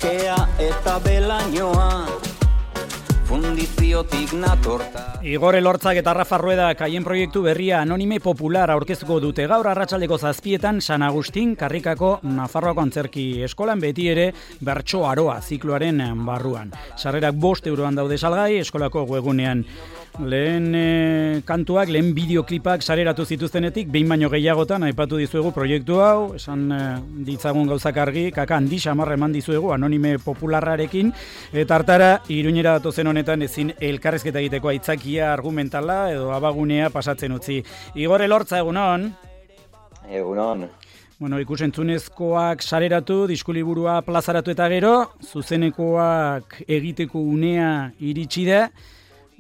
kea eta belainoa, fundiziotik natorta. Igor Elortzak eta Rafa Ruedak haien proiektu berria Anonime Popular aurkeztuko dute gaur arratsaldeko 7:00 San Agustin Karrikako Nafarroako Antzerki Eskolan, beti ere bertso aroa zikloaren barruan. Sarrerak 5 euroan daude salgai eskolako webgunean. Lehen kantuak, lehen bideoklipak sareratu zituztenetik, behin baino gehiagotan aipatu dizuegu proiektu hau, esan ditzagun gauzak argi, kaka handi xamarra eman dizuegu Anonime Popularrarekin, eta hartara Iruñera datozen honetan ezin elkarrezketa egiteko aitzakia argumentala edo abagunea pasatzen utzi. Igor Elortza, egunon? Egunon. Bueno, ikusentzunezkoak sareratu, diskuliburua plazaratu eta gero, zuzenekoak egiteko unea iritsi da.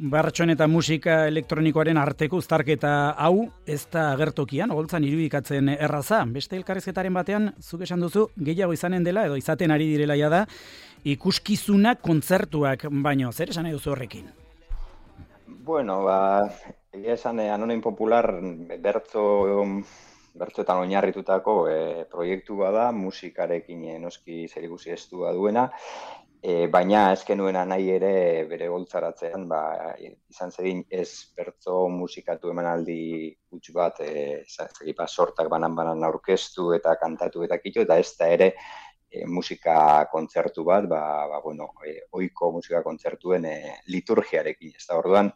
Bertsoen eta musika elektronikoaren arteko uztarketa hau ez da agertokian, oholtzan irudikatzen erraza. Beste elkarrizketaren batean, zuk esan duzu, gehiago izanen dela, edo izaten ari direla da, ikuskizunak, kontzertuak, baino, zer esan nahi duzu horrekin? Bueno, egia esan Anonime Popular bertsoetan oinarritutako proiektu bada, musikarekin noski zerikusi estua duena, baina ez genuena nahi ere bere goltzaratzean izan zedin ez bertso musikatu emanaldi huts bat sortak banan aurkeztu eta kantatu eta kito, eta ez da ere musika kontzertu bat, ohiko musika kontzertuen liturgiarekin. Ez da orduan,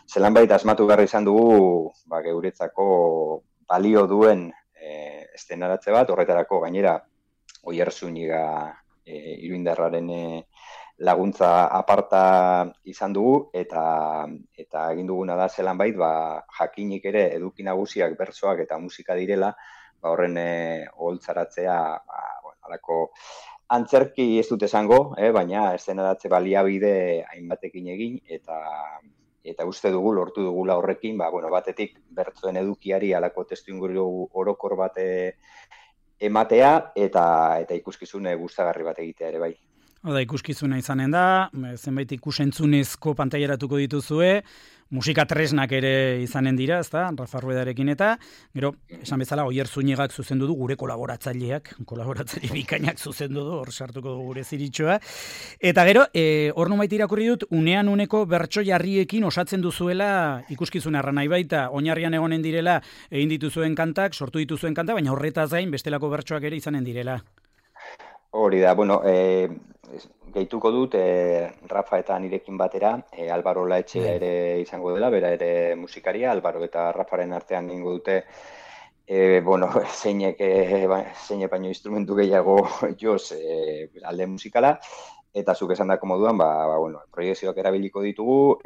zelanbait asmatu behar izan dugu geuretzako balio duen estenaratze bat, horretarako gainera Oierzuniga Iruindarraren laguntza aparta izan dugu, eta egin duguna da zelanbait jakinik ere eduki nagusiak bertsoak eta musika direla, horren oholtzaratzea halako antzerki ez dut esango, baina estenaratze baliabide hainbatekin egin, eta uste dugu lortu dugula horrekin, batetik bertsoen edukiari halako testuinguru orokor bat ematea eta ikuskizun gustagarri bat egitea ere bai. Oda, ikuskizuna izanen da, zenbait ikusentzunezko pantailaratuko dituzue, musika tresnak ere izanen dira, ezta, Rafa Ruedarekin eta, gero, esan bezala, Oierzunigak zuzendu du gure kolaboratzaile bikainak zuzendu du, hor sartuko du gure ziritxoa. Eta gero, hor numait irakurri dut, unean uneko bertso jarriekin osatzen duzuela ikuskizuna erra nahi baita, oinarrian egonen direla, egin dituzuen kantak, sortu dituzuen kantak, baina horretaz gain bestelako bertsoak ere izanen direla. Hori da, gehituko dut Rafa eta nirekin batera, Álvaro Laetxea ere izango dela, bera ere musikaria, Álvaro eta Rafaren artean egingo dute, zeinek baino instrumentu gehiago joz alde musikala, eta zuk esan dako moduan, proiekzioak erabiliko ditugu,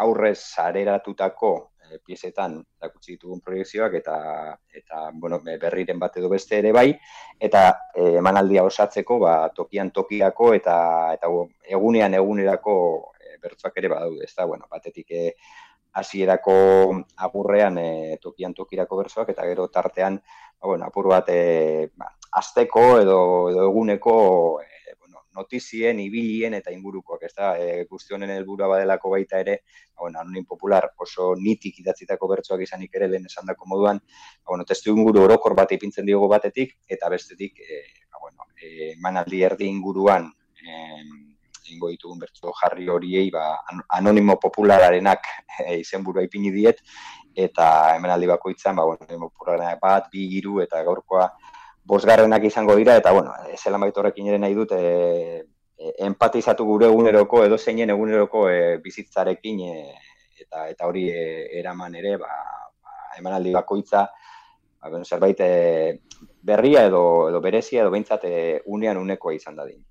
aurrez sareratutako piezetan erakutsi ditugun proiekzioak eta berriren bat edo beste ere bai, eta emanaldia osatzeko tokian tokiako eta egunerako bertsoak ere badaude, ezta, batetik hasierako agurrean tokian tokirako bertsoak, eta gero tartean apur bat asteko edo eguneko notizien, ibilien eta ingurukoak, ez da, guzti honen helburua badelako baita ere, Anonime Popular oso nitik idatzitako bertsoak izanik ere lehen esandako moduan, testu inguru orokor bat ipintzen diogo batetik, eta bestetik, emanaldi erdi inguruan ingo ditugun bertso jarri horiei, Anonimo Populararenak izenburua ipini diet, eta emanaldi bakoitzan, Anonimo Populararenak 1, 2, 3, eta gaurkoa 5 izango dira, eta, zelan baitu horrekin ere nahi dut, empatizatu gure eguneroko, edo zeinen eguneroko bizitzarekin, eta hori eraman ere, emanaldi bakoitza, zerbait berria edo berezia, edo behintzat unean unekoa izan dadin.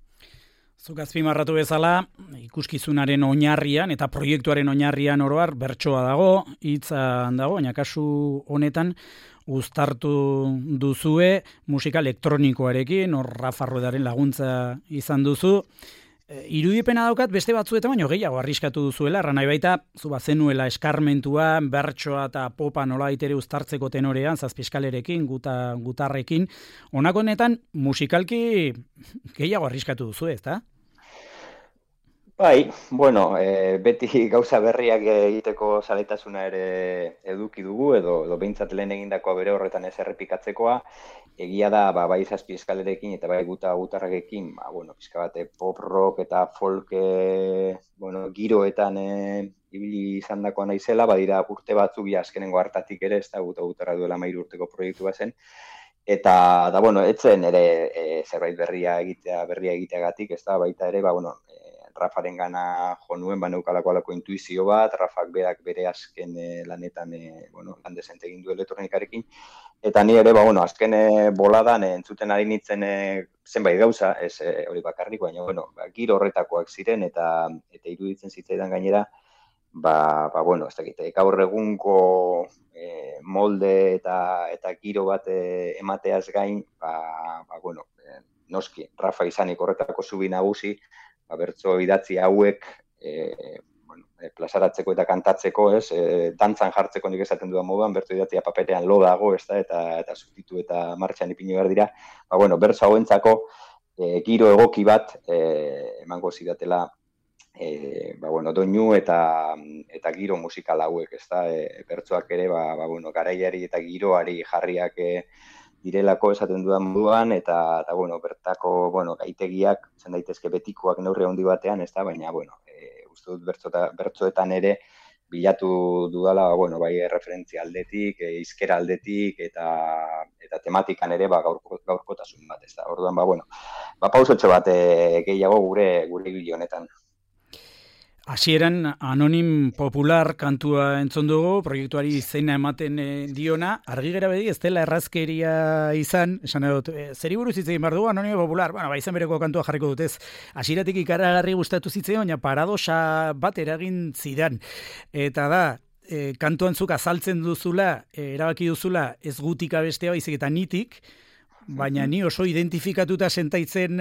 Zuk azpimarratu bezala, ikuskizunaren oinarrian eta proiektuaren oinarrian oroar bertsoa dago, hitza dago, baina kasu honetan uztartu duzue musika elektronikoarekin, hor Rafa Ruedaren laguntza izan duzu. Irudipena daukat beste batzuetan baino gehiago arriskatu duzuela, erran nahi baita, zu bazenuela eskarmentua, bertsoa eta popa nolabait ere uztartzeko tenorean, zazpieskalerekin, gutarrekin. Honako honetan musikalki gehiago arriskatu duzu, ezta? Bai, bueno, beti gauza berriak egiteko zaletasuna ere eduki dugu, edo behintzat lehen egindakoa bere horretan ez errepikatzekoa, egia da, bai zazpi eskalerekin eta bai gutarrakekin, bueno, pixka bat pop rock eta folk, bueno, giroetan ibili izan dakoa naizela, badira urte batzuk azkenengo hartatik ere, ez da gutarra duela 13 urteko proiektu bazen, eta, bueno, etzen ere zerbait berria egiteagatik, ez da, baita ere, bueno, Rafaren gana jo nuen, neukalako alako intuizio bat, Rafak berak bere azken lanetan, bueno, lan desente egin du elektronikarekin, eta ni ere, bueno, azken boladan entzuten ari nintzen zenbait gauza, ez hori bakarrik, baina, bueno, giro horretakoak ziren, eta iruditzen zitzaidan gainera, bueno, ez dakit, gaur egungo molde eta giro bat emateaz gain, bueno, noski, Rafa izanik horretako zubi nagusi, bertso idatzi hauek bueno, plazaratzeko eta kantatzeko, ez, dantzan jartzeko nik esaten dudan moduan, bertso idatzia paperean lo dago, ez da, eta subtitu eta martxan ipini behar dira, bueno, bertso hauentzako giro egoki bat emango zidatela, bueno, doinu eta giro musikal hauek, ez da, bertsoak ere, bueno, garaiari eta giroari jarriak direlako esaten dudan moduan, eta bueno, bertako, bueno, gaitegiak, zen daitezke betikoak neurri handi batean, ez da, baina, bueno, uste dut bertsoetan ere, bilatu dudala, bueno, bai referentzia aldetik, hizkera aldetik, eta tematikan ere, gaurkotasun bat, ez da, orduan, bueno, pausotxo bat gehiago gure ibili honetan. Hasieran Anonim Popular kantua entzun dugu, proiektuari izena ematen diona, argi gera bedi ez dela errazkeria izan, esan dut, zeri buruz hitz egin behar dugu Anonim Popular, bueno, izan bereko kantua jarriko dutez, hasieratik ikaragarri gustatu zitzaion, baina paradoxa bat eragin zidan, eta da, kantuan zuk azaltzen duzula, erabaki duzula, ez gutik abestea baizik eta nitik, baina ni oso identifikatuta sentaitzen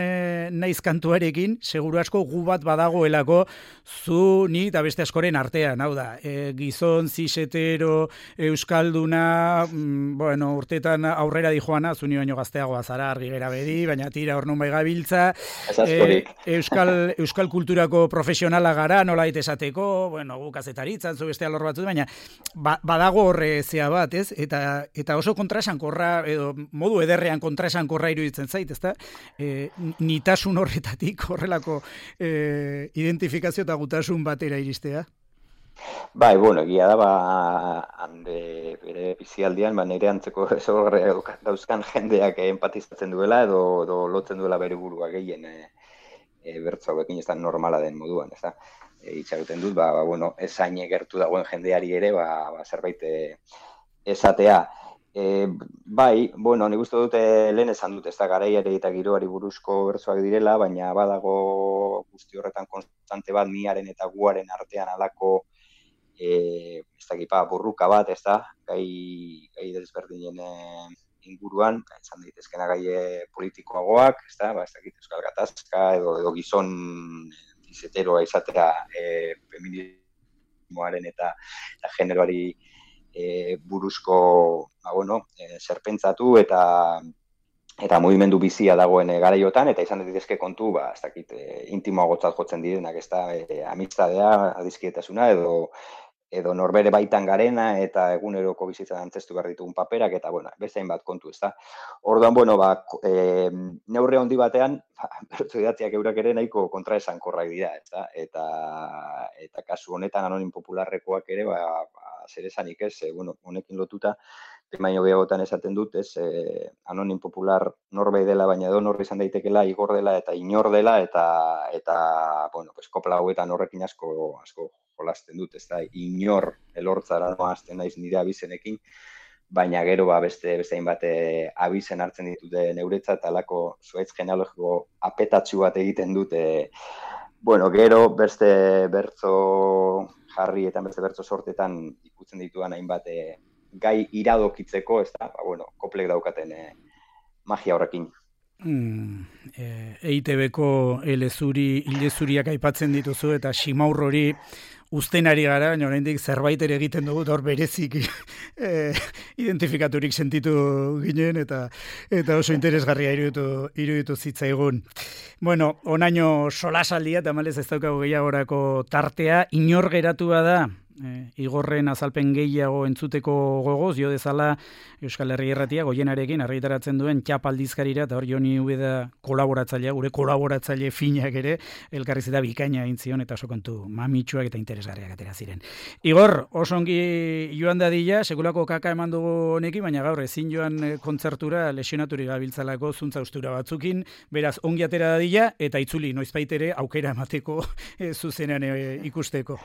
naiz kantuarekin, seguru asko gu bat badagoelako zu, ni eta beste askoren artean, hau da, gizon, zisetero, euskalduna, bueno, urtetan aurrera dijoana, zu ni baino gazteagoa zara argi gera bedi, baina tira hor nun bai gabiltza, euskal kulturako profesionala gara, nolait esateko, bueno, gu kazetaritzan, zu beste alor batzu, baina badago horre zea bat, ez? Eta oso kontraesankorra, edo modu ederrean kontraesankorra iruditzen zait, ezta? Nitasun horretatik horrelako identifikazio eta gutasun batera iristea. Bai, bueno, egia da, bere bizialdian, nire antzeko ezagorre dauzkan jendeak empatizatzen duela, edo lotzen duela bere burua gehien bertso hauekin ez da normala den moduan, ez da? Itxaruten dut, bueno, ezain gertu dagoen jendeari ere, zerbait esatea. Bai, bueno, nik uste dute lehen esan dut, ez da garaiari eta giroari buruzko bertsoak direla, baina badago guzti horretan konstante bat niaren eta guaren artean alako ez dakipa burruka bat, ez da, gai desberdinen inguruan, izan daitezkena gai politikoagoak, ez da, ez dakit euskal gatazka edo gizon izeteroa izatea feminismoaren eta generoari buruzko, bueno, zerpentsatu eta mugimendu bizia dagoen garaiotan, eta izan daitezke kontu, ez dakit, intimoagotzat jotzen direnak, ez da, amistadea, adizkietasuna, edo norbere baitan garena, eta eguneroko bizitzan antzestu behar ditugun paperak, eta, bueno, bezain bat kontu, ez da. Orduan, bueno, neurri handi batean, bertso idatziak eurak ere nahiko kontraesankorrak dira, ez da, eta kasu honetan Anonim Popularrekoak ere, zer esanik ez, bueno, honekin lotuta, baino gehiagotan esaten dut, ez, Anonim Popular norbait dela, baina edo norri izan daitekela, igor dela eta inor dela, eta bueno, kopla hauetan horrekin asko jolasten dut, ez da, inor elortzara noazten naiz nire abizenekin, baina gero beste hainbat abizen hartzen ditute neuretzat, alako zuaitz genealogiko apetatxu bat egiten dute, bueno, gero beste bertso jarri eta beste bertso sortetan ikutzen dituan hainbat gai iradokitzeko, ez da, bueno, koplek daukaten magia horrekin. EITB-ko ilezuriak aipatzen dituzu eta Ximaur hori uzten ari gara, baina oraindik zerbait ere egiten dugu, hor berezik identifikaturik sentitu ginen, eta oso interesgarria iruditu zitzaigun. Bueno, onaino solasaldia, tamalez ez daukagu gehiagorako tartea, inor geratua da, Igorren azalpen gehiago entzuteko gogoz, jo dezala Euskal Herri Irratia Goienarekin argitaratzen duen txap aldizkarira, eta hor Joni Ubeda kolaboratzailea, gure kolaboratzaile finak ere, elkarrizketa bikaina egin zion, eta oso kontu mamitsuak eta interesgarriak atera ziren. Igor, oso ongi joan dadila, sekulako kaka eman dugu honekin, baina gaur ezin joan kontzertura lesionaturik gabiltzalako zuntza ustura batzukin, beraz ongi atera dadila, eta itzuli noizbait ere aukera emateko zuzenean ikusteko.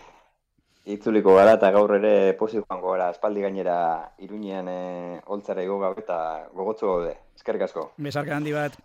Itzuliko gara eta gaur ere pozik joango gara, espaldi gainera Iruñean holtzara igo gabe eta gogotsu gaude. Eskerrik asko. Besarka handi bat.